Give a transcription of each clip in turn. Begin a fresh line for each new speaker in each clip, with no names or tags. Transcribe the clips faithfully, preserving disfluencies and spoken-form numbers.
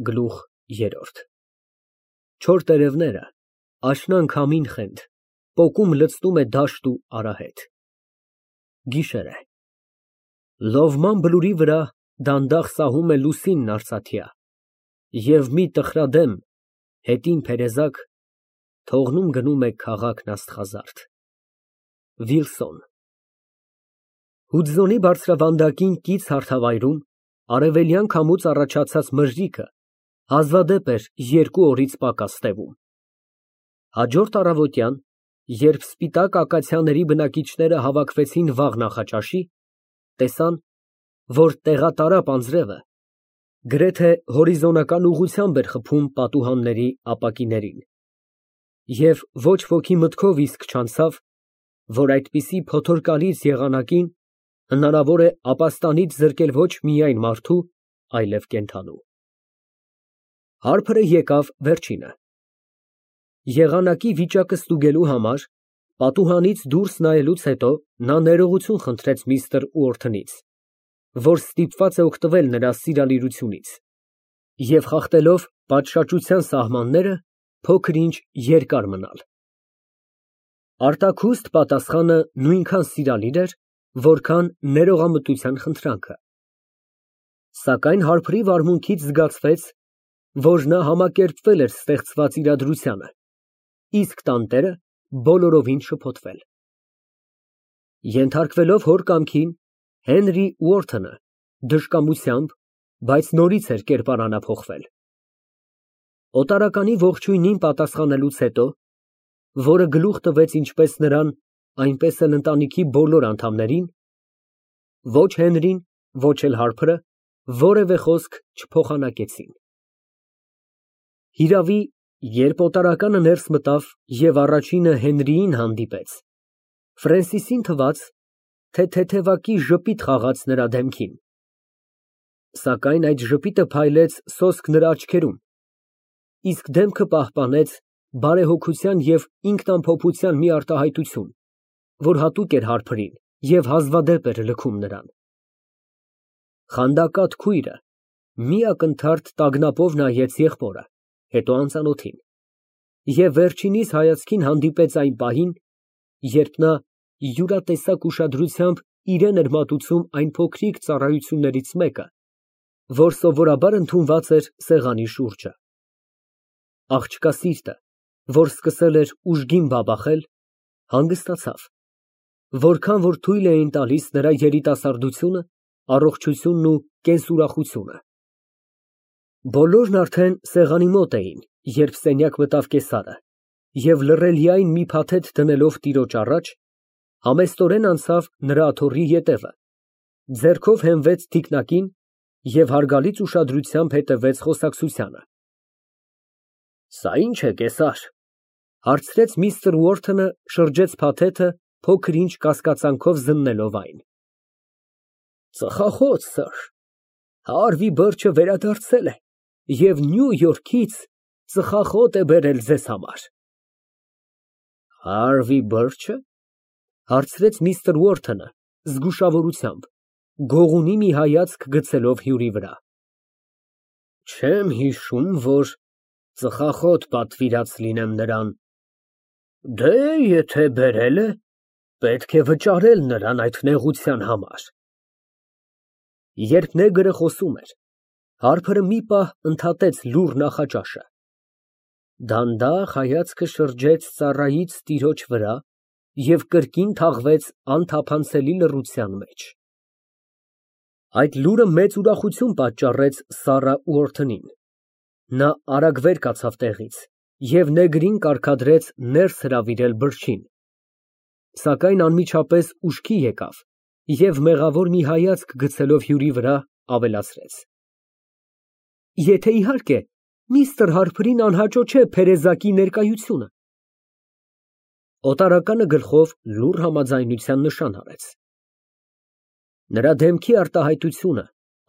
Գլուխ երրորդ Չոր տերևները, աշնան քամին խենթ, պոկում լցնում է դաշտ ու արահետ։ Գիշեր է։ Լովման բլուրի վրա դանդաղ սահում է լուսինն արծաթյա, և մի տխրադեմ, հետին փերեզակ թողնում գնում է քաղաքն աստղազարդ։ Վիլսոն Հուդզոնի բարձրավանդակին կից հարթավայրում արևելյան քամուց առաջացած մրրիկը հազվադեպ էր երկու օրից պակաս տևում։ Հաջորդ առավոտյան, երբ սպիտակ ակացիաների բնակիչները հավաքվեցին վաղ նախաճաշի, տեսան, որ տեղատարապ անձրևը գրեթե հորիզոնական ուղղությամբ էր խփում պատուհանների ապակիներին, և ոչ ոքի մտքով իսկ չանցավ, որ այդպիսի փոթորկալից եղանակին հնարավոր է ապաստանից զրկել ոչ միայն մարդու, այլև կենդանու։ Հարբը եկավ վերջինը։ Եղանակի վիճակը ստուգելու համար պատուհանից դուրս նայելուց հետո նա ներողություն խնդրեց միստր Ուորթնից, որ ստիպված է օգտվել նրա սիրալիրությունից, և խախտելով պատշաճության սահմանները, փոքր֊ինչ երկար մնալ։ Արտաքուստ պատասխանը նույնքան սիրալիր էր, որքան ներողամտության խնդրանքը։ Սակայն հարբրի վարմունքից զգացվեց, որ նա համակերպվել էր ստեղծված իրադրությանը, իսկ տանտերը բոլորովին շփոթվել։ Ենթարկվելով հոր կամքին, Հենրի Ուորթնը դժկամությամբ, բայց նորից էր կերպարանափոխվել։ Օտարականի ողջույնին պատասխանելուց հետո, որը գլուխ տվեց ինչպես նրան, այնպես էլ ընտանիքի բոլոր անդամներին, ոչ Հենրին, ոչ էլ հարբրը որևէ խոսք չփոխանակեցին։ Հիրավի, երբ օտարականը ներս մտավ և առաջինը Հենրիին հանդիպեց, Ֆրենսիսին թվաց, թե թեթևակի ժպիտ խաղաց նրա դեմքին, սակայն այդ ժպիտը փայլեց սոսկ նրա աչքերում, իսկ դեմքը պահպանեց բարեհոգության և ինքնամփոփության մի արտահայտություն, որ հատուկ էր հարբրին և հազվադեպ էր լքում նրան։ Խանդակատ քույրը մի ակնթարթ տագնապով նայեց եղբորը, հետո անծանոթին, և վերջինիս հայացքին հանդիպեց այն պահին, երբ նա յուրատեսակ ուշադրությամբ իրան էր մատուցում այն փոքրիկ ծառայություններից մեկը, որ սովորաբար ընդունված էր սեղանի շուրջը։ Աղջկա սիրտը, որ սկսել էր ուժգին բաբախել, հանգստացավ, որքան որ թույլ էին տալիս նրա երիտասարդությունը, առողջությունն ու կենսուրախությունը։ Բոլորն արդեն սեղանի մոտ էին, երբ սենյակ մտավ կեսարը, և լռելիայն մի փաթեթ դնելով տիրոջ առաջ, համեստորեն անցավ նրա աթոռի ետևը, ձեռքով հենվեց թիկնակին և հարգալից ուշադրությամբ հետևեց խոսակցությանը։ ֊ Սա ի՞նչ է, կեսար, ֊ հարցրեց միստր Ուորթնը, շրջեց փաթեթը, փոքր֊ինչ կասկածանքով զննելով այն։ ֊ Ծխախոտ, սըր, Հարվի Բըրչը վերադարձել է և Նյու Յորքից ծխախոտ է բերել ձեզ համար։ ֊ Հարվի Բըրչը, ֊ հարցրեց միստր Ուորթնը զգուշավորությամբ, գողունի մի հայացք գցելով հյուրի վրա։ ֊ Չեմ հիշում, որ ծխախոտ պատվիրած լինեմ նրան։ ֊ Դե, եթե բերել է, պետք է վճարել նրան այդ նեղության համար։ Երբ նեգրը խոսում էր, հարբը մի պահ ընդհատեց լուռ նախաճաշը, դանդաղ հայացքը շրջեց ծառայից տիրոջ վրա և կրկին թաղվեց անթափանցելի լռության մեջ։ Այդ լուրը մեծ ուրախություն պատճառեց Սառա Ուորթնին։ Նա արագ վեր կացավ տեղից և նեգրին կարգադրեց ներս հրավիրել Բըրչին, սակայն անմիջապես ուշքի եկավ և մեղավոր մի հայացք գցելով հյուրի վրա, ավելացրեց. Եթե, իհարկե, միստր Հարփրին անհաճո չէ փերեզակի ներկայությունը։ Օտարականը գլխով լուռ համաձայնության նշան արեց։ Նրա դեմքի արտահայտությունը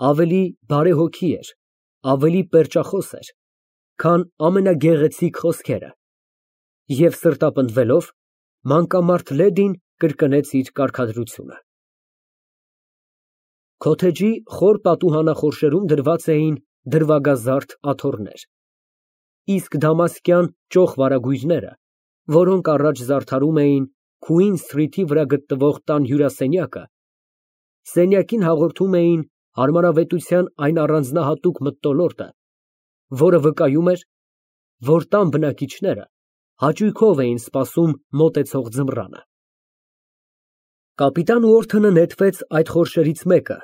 ավելի բարեհոգի էր, ավելի պերճախոս էր, քան ամենագեղեցիկ խոսքերը, և սրտապնդվելով, մանկամարդ լեդին կրկնեց իր կարգադրությունը։ Քոթեջի խոր պատուհանախորշերում դրված էին դրվագազարդ աթոռներ, իսկ դամասկյան ճոխ վարագույրները, որոնք առաջ զարդարում էին Քուին Սթրիթի վրա գտնվող տան հյուրասենյակը, սենյակին հաղորդում էին հարմարավետության այն առանձնահատուկ մթնոլորտը, որը վկայում էր, որ տան բնակիչները հաճույքով էին սպասում մոտեցող ձմռանը։ Կապիտան Ուորթոնը նետվեց այդ խորշերից մեկը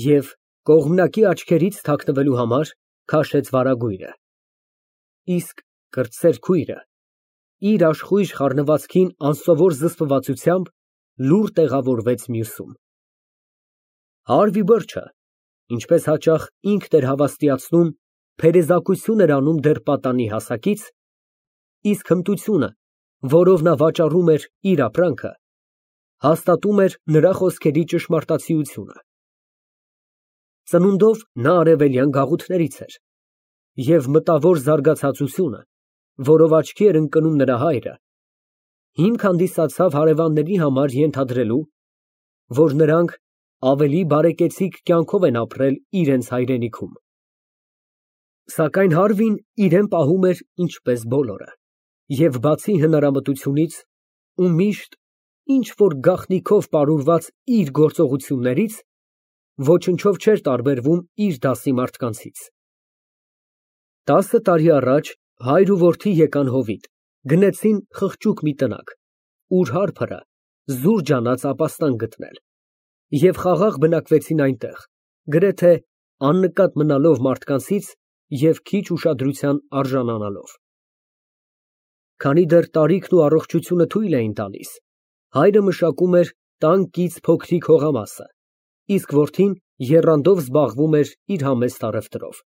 և կողմնակի աչքերից թաքնվելու համար քաշեց վարագույրը, իսկ կրտսեր քույրը իր աշխույժ խառնվածքին անսովոր զսպվածությամբ լուռ տեղավորվեց մյուսում։ Հարվի Բըրչը, ինչպես հաճախ ինքն էր հավաստիացնում, փերեզակություն էր անում դեռ պատանի հասակից, իսկ հմտությունը, որով նա վաճառում էր իր ապրանքը, հաստատում էր նրա խոսքերի ճշմարտացիությունը։ Ծնունդով նա արևելյան գաղութներից էր, և մտավոր զարգացածությունը, որով աչքի էր ընկնում նրա հայրը, հիմք հանդիսացավ հարևանների համար ենթադրելու, որ նրանք ավելի բարեկեցիկ կյանքով են ապրել իրենց հայրենիքում։ Սակայն Հարվին իրեն պահում էր ինչպես բոլորը, և բացի հնարամտությունից ու միշտ ինչ֊որ գաղտնիքով պարուրված իր գործողություններից, ոչնչով չէր տարբերվում իր դասի մարդկանցից։ Տասը տարի առաջ հայր ու որդի եկան հովիտ, գնեցին խղճուկ մի տնակ, ուր հարբը զուր ջանաց ապաստան գտնել, և խաղաղ բնակվեցին այնտեղ, գրեթե աննկատ մնալով մարդկանցից և քիչ ուշադրության արժանանալով։ Քանի դեռ տարիքն ու առողջությունը թույլ էին տալիս, հայրը մշակում էր տան կից փոքրիկ հողամասը, իսկ որդին եռանդով զբաղվում էր իր համեստ առևտրով։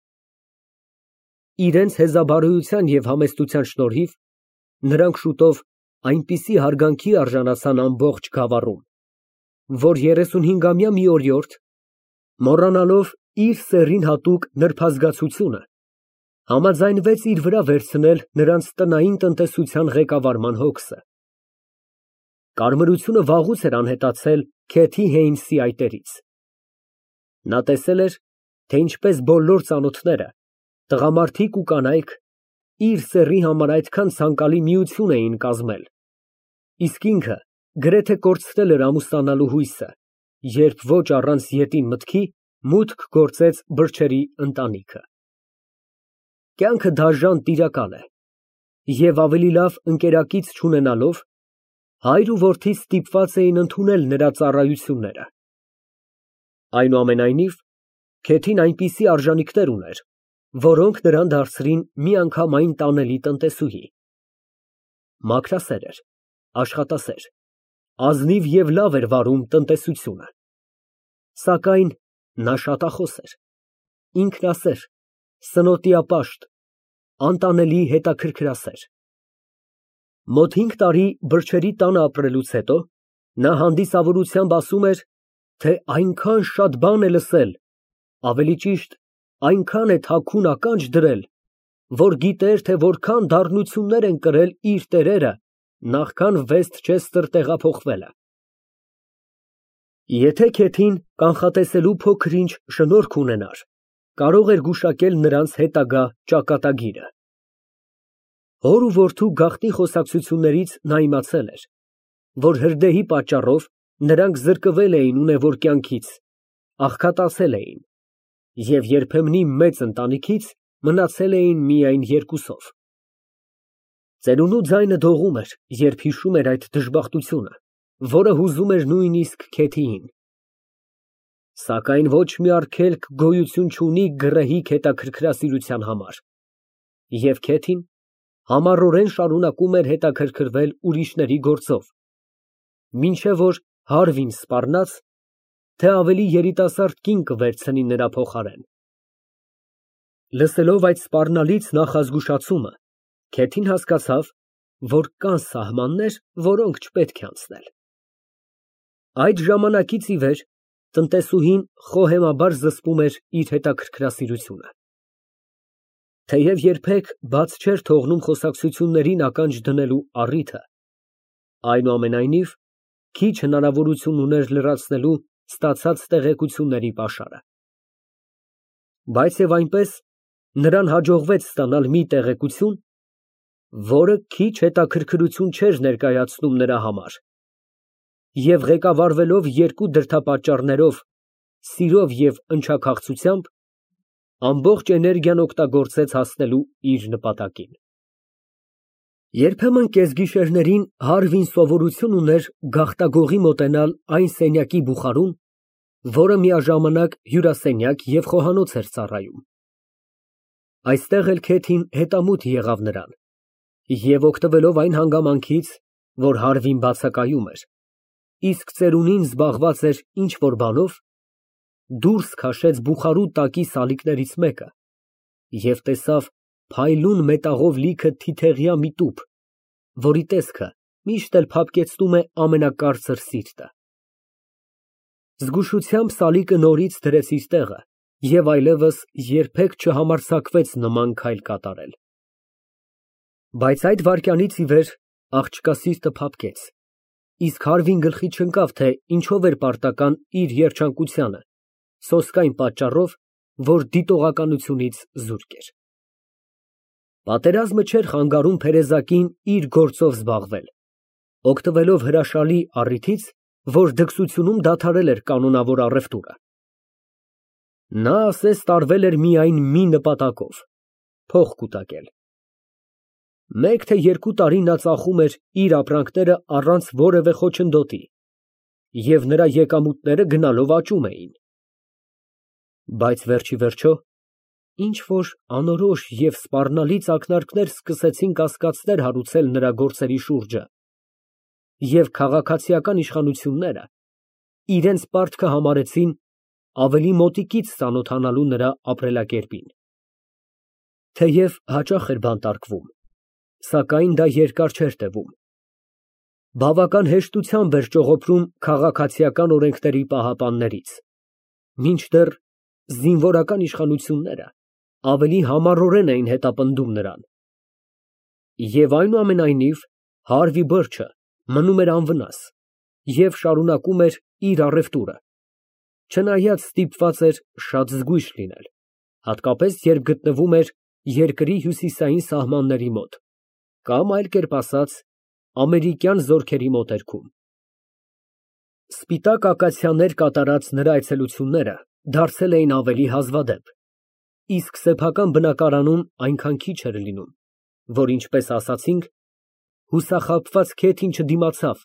Իրենց հեզաբարոյության և համեստության շնորհիվ նրանք շուտով այնպիսի հարգանքի արժանացան ամբողջ գավառում, որ երեսունհինգամյա մի օրիորդ, մոռանալով իր սեռին հատուկ նրբազգացությունը, համաձայնվեց իր վրա վերցնել նրանց տնային տնտեսության ղեկավարման հոգսը։ Կարմրությունը վաղուց էր անհետացել Քեթի Հեյնսի այտերից։ Նա տեսել էր, թե ինչպես բոլոր ծանոթները, տղամարդիկ ու կանայք, իր սեռի համար այդքան ցանկալի միություն էին կազմել, իսկ ինքը գրեթե կորցրել էր ամուսնանալու հույսը, երբ ոչ առանց ետին մտքի մուտք գործեց Բըրչերի ընտանիքը։ Կյանքը դաժան տիրակալ է, և ավելի լավ ընկերակից չունենալով, հայր ու որդի ստիպված էին ընդունել նրա ծառայությունները։ Այնուամենայնիվ, Քեթին այնպիսի արժանինքներ ուներ, որոնք նրան դարձրին միանգամայն տանելի տնտեսուհի։ Մաքրասեր էր, աշխատասեր, ազնիվ և լավ էր վարում տնտեսությունը։ Սակայն նա շատախոս էր, ինքնասեր, սնոտիապաշտ, անտանելի հետաքրքրասեր։ Մոտ հինգ տարի Բըրչերի տանը ապրելուց հետո նա հանդիսավորությամբ ասում էր, թե այնքան շատ բան է լսել, ավելի ճիշտ, այնքան է թաքուն ականջ դրել, որ գիտեր, թե որքան դառնություններ են կրել իր տերերը, նախքան Վեսթչեսթեր տեղափոխվելը։ Եթե Քեթին կանխատեսելու փոքր֊ինչ շնորք ունենար, կարող էր գուշակել նրանց հետագա ճակատագիրը։ Հոր ու որդու գաղտնի խոսակցություններից նա իմացել էր, որ հրդեհի պատճառով նրանք զրկվել էին ունևոր կյանքից, աղքատացել էին, և երբեմնի մեծ ընտանիքից մնացել էին միայն երկուսով։ Ծերունու ձայնը դողում էր, երբ հիշում էր այդ դժբախտությունը, որը հուզում էր նույնիսկ Քեթիին։ Սակայն ոչ մի արգելք գոյություն չունի գռեհիկ հետաքրքրասիրության համար, և Քեթին համառորեն շարունակում էր հետաքրքրվել ուրիշների գործով, մինչև որ Հարվին սպառնաց, թե ավելի երիտասարդ կին կվերցնի նրա փոխարեն։ Լսելով այդ սպառնալից նախազգուշացումը, Քեթին հասկացավ, որ կան սահմաններ, որոնք չպետք է անցնել։ Այդ ժամանակից ի վեր տնտեսուհին խոհեմաբար զսպում էր իր հետաքրքրասիրությունը։ Թեև երբեք բաց չէր թողնում խոսակցություններին ականջ դնելու առիթը, այնուամենայնիվ քիչ հնարավորություն ուներ լրացնելու ստացած տեղեկությունների պաշարը։ Բայց և այնպես նրան հաջողվեց ստանալ մի տեղեկություն, որը քիչ հետաքրքրություն չէր ներկայացնում նրա համար, և ղեկավարվելով երկու դրդապատճառներով՝ սիրով և ընչաքաղցությամբ, ամբողջ էներգիան օգտագործեց հասնելու իր նպատակին։ Երբեմն կեսգիշերներին Հարվին սովորություն ուներ գաղտագողի մոտենալ այն սենյակի բուխարուն, որը միաժամանակ հյուրասենյակ և խոհանոց էր ծառայում։ Այստեղ էլ Քեթին հետամուտ եղավ նրան և, օգտվելով այն հանգամանքից, որ Հարվին բացակայում էր, իսկ ծերունին զբաղված էր ինչ֊որ բանով, դուրս քաշեց բուխարու տակի սալիկներից մեկը և տեսավ փայլուն մետաղով լիքը թիթեղյա մի տուփ, որի տեսքը միշտ էլ փափկեցնում է ամենակարծր սիրտը։ Զգուշությամբ սալիկը նորից դրեց իր տեղը և այլևս երբեք չհամարձակվեց նման քայլ կատարել։ Բայց այդ վայրկյանից ի վեր աղջկա սիրտը փափկեց, իսկ Հարվին գլխի չընկավ, թե ինչով էր պարտական իր երջանկությանը, սոսկայն պատճառով, որ դիտողականությունից զուրկ էր։ Պատերազմը չէր խանգարում Փերեզակին իր գործով զբաղվել, օգտվելով հրաշալի առիթից, որ դքսությունում դադարել էր կանոնավոր առևտուրը։ Նա ասես տարվել էր միայն մի նպատակով՝ փող կուտակել։ Մեկ թե երկու տարի նա ծախում էր իր ապրանքները առանց որևէ խոչընդոտի, և նրա եկամուտները գնալով աճում էին։ Բայց վերջիվերջո ինչ֊որ անորոշ և սպառնալից ակնարկներ սկսեցին կասկածներ հարուցել նրա գործերի շուրջը, և քաղաքացիական իշխանությունները իրենց պարտքը համարեցին ավելի մոտիկից ծանոթանալու նրա ապրելակերպին։ Թեև հաճախ էր բանտարկվում, սակայն դա երկար չէր տևում։ Բավական հեշտությամբ էր ճողոփրում քաղաքացիական օրենքների պահապաններից, մինչդեռ զինվորական իշխանությունները ավելի համառորեն էին հետապնդում նրան։ Եվ այնուամենայնիվ Հարվի Բըրչը մնում էր անվնաս և շարունակում էր իր առևտուրը, չնայած ստիպված էր շատ զգույշ լինել, հատկապես երբ գտնվում էր երկրի հյուսիսային սահմանների մոտ, կամ այլ կերպ ասած, ամերիկյան զորքերի մոտերքում։ Սպիտակ ակացիաներ կատարած նրա այցելությունները դարձել էին ավելի հազվադեպ, իսկ սեփական բնակարանում այնքան քիչ էր լինում, որ, ինչպես ասացինք, հուսախաբված Քեթին չդիմացավ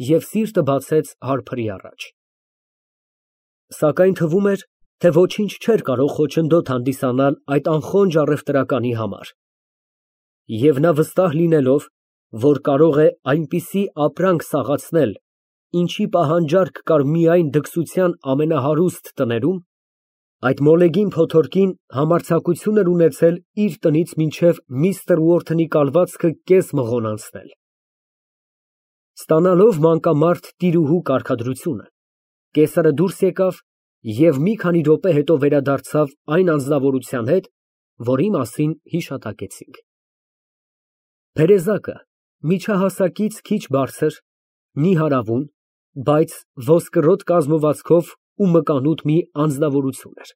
և սիրտը բացեց հարբրի առաջ։ Սակայն թվում էր, թե ոչինչ չէր կարող խոչընդոտ հանդիսանալ այդ անխոնջ առևտրականի համար, և նա վստահ լինելով, որ կարող է այնպիսի ապրանք սաղացնել, ինչի պահանջարկ կար միայն դքսության ամենահարուստ տներում, այդ մոլեգին փոթորկին համարձակություն էր ունեցել իր տնից մինչև միստր Ուորթնի կալվածքը կես մղոն անցնել։ Ստանալով մանկամարդ տիրուհու կարգադրությունը, կեսարը դուրս եկավ և մի քանի րոպե հետո վերադարձավ այն անձնավորության հետ, որի մասին հիշատակեցինք։ Փերեզակը միջահասակից քիչ բարձր, նիհարավուն, բայց ոսկրոտ կազմվածքով ու մկանուտ մի անձնավորություն էր։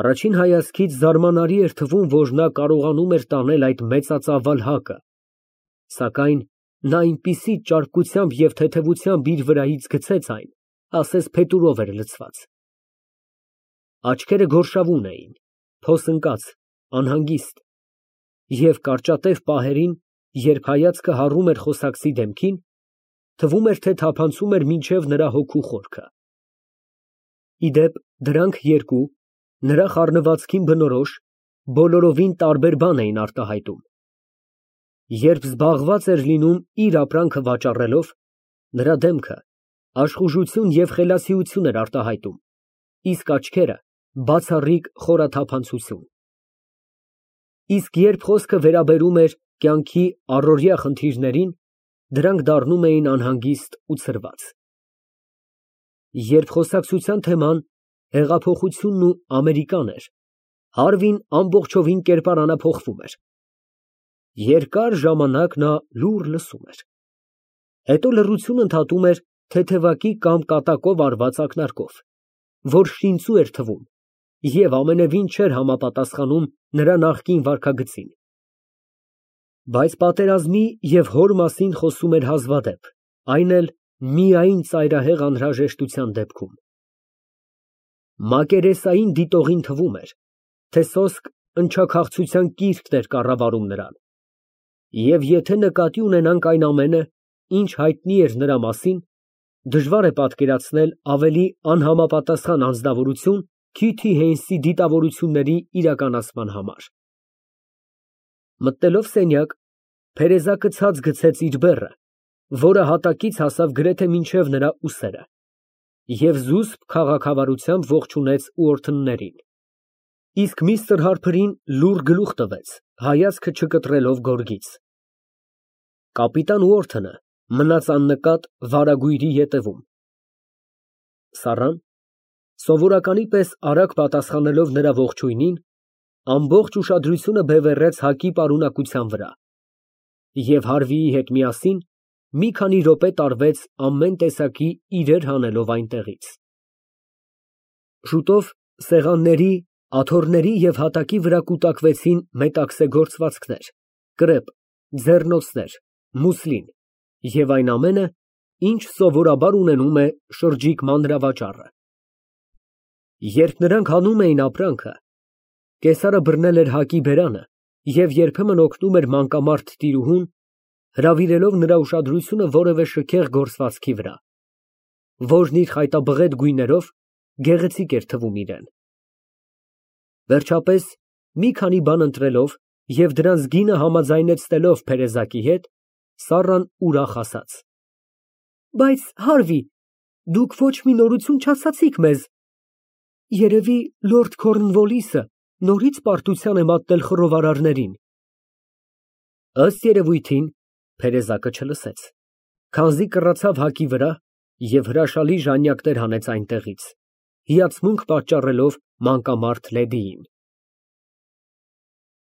Առաջին հայացքից զարմանալի էր թվում, որ նա կարողանում էր տանել այդ մեծածավալ հակը, սակայն նա այնպիսի ճարպկությամբ և թեթևությամբ իր վրայից գցեց այն, ասես փետուրով էր լցված։ Աչքերը գորշավուն էին, փոս ընկած, անհանգիստ, և կարճատև պահերին, երբ հայացքը հառում էր խոսակցի դեմքին, թվում էր, թե թափանցում էր մինչև նրա հոգու խորքը։ Ի դեպ, դրանք երկու, նրա խառնվածքին բնորոշ, բոլորովին տարբեր բան էին արտահայտում։ Երբ զբաղված էր լինում իր ապրանքը վաճառելով, նրա դեմքը աշխուժություն և խելացիություն էր արտահայտում, իսկ աչքերը բացառիկ խորաթափանցություն։ Իսկ երբ խոսքը վերաբերում էր կյանքի առօրյա խնդիրներին, դրանք դառնում էին անհանգիստ ու ցրված։ Երբ խոսակցության թեման հեղափոխությունն ու Ամերիկան էր, Հարվին ամբողջովին կերպարանափոխվում էր։ Երկար ժամանակ նա լուռ լսում էր, հետո լռությունը ընդհատում էր թեթևակի կամ կատակով արված ակնարկով, որ շինծու էր թվում, և ամենևին չէր համապատասխանում նրա նախկին վարքագծին։ Բայց պատերազմի և հոր մասին խոսում էր հազվադեպ, այն էլ միայն ծայրահեղ անհրաժեշտության դեպքում։ Մակերեսային դիտողին թվում էր, թե սոսկ ընչաքաղցության կիրքն էր կառավարում նրան, և եթե նկատի ունենանք այն ամենը, ինչ հայտնի էր նրա մասին, դժվար է պատկերացնել ավելի անհամապատասխան անձնավորություն Քիթի Հեյնսի դիտավորությունների իրականացման համար։ Մտնելով սենյակ, Թերեզակը ցած գցեց իր բեռը, որը հատակից հասավ գրեթե մինչև նրա ուսերը, և զուսպ քաղաքավարությամբ ողջունեց Ուորթններին, իսկ միստր Հարփրին լուռ գլուխ տվեց, հայացքը չկտրելով գորգից։ Կապիտան Ուորթոնը մնաց աննկատ վարագույրի ետևում։ Սառան, սովորականի պես արագ պատասխանելով նրա ողջույնին, ամբողջ ուշադրությունը բևեռեց հակի պարունակության վրա և Հարվիի հետ միասին մի քանի րոպե տարվեց ամեն տեսակի իրեր հանելով այնտեղից։ Շուտով սեղանների, աթոռների և հատակի վրա կուտակվեցին մետաքսե գործվածքներ, կրեպ, ձեռնոցներ, մուսլին և այն ամենը, ինչ սովորաբար ունենում է շրջիկ մանրավաճառը։ Երբ նրանք հանում էին ապրանքը, կեսարը բռնել էր հակի բերանը և երբեմն օգնում էր մանկամարտ տիրուհուն, հրավիրելով նրա ուշադրությունը որևէ շքեղ գործվածքի վրա, որն իր խայտաբղետ գույներով գեղեցիկ էր թվում իրան։ Վերջապես, մի քանի բան ընտրելով և դրանց գինը համաձայնեցնելով Թերեզակի հետ, Սառան ուրախ ասաց. Բայց, Հարվի, դուք ոչ մի նորություն չասացիք մեզ։ Երևի լորդ Քորնվոլիսը նորից պարտության է մատնել խռովարարներին։ Ըստ երևույթին, Թերեզակը չլսեց, քանզի կռացավ հակի վրա և հրաշալի ժանյակներ հանեց այնտեղից, հիացմունք պատճառելով մանկամարտ լեդիին։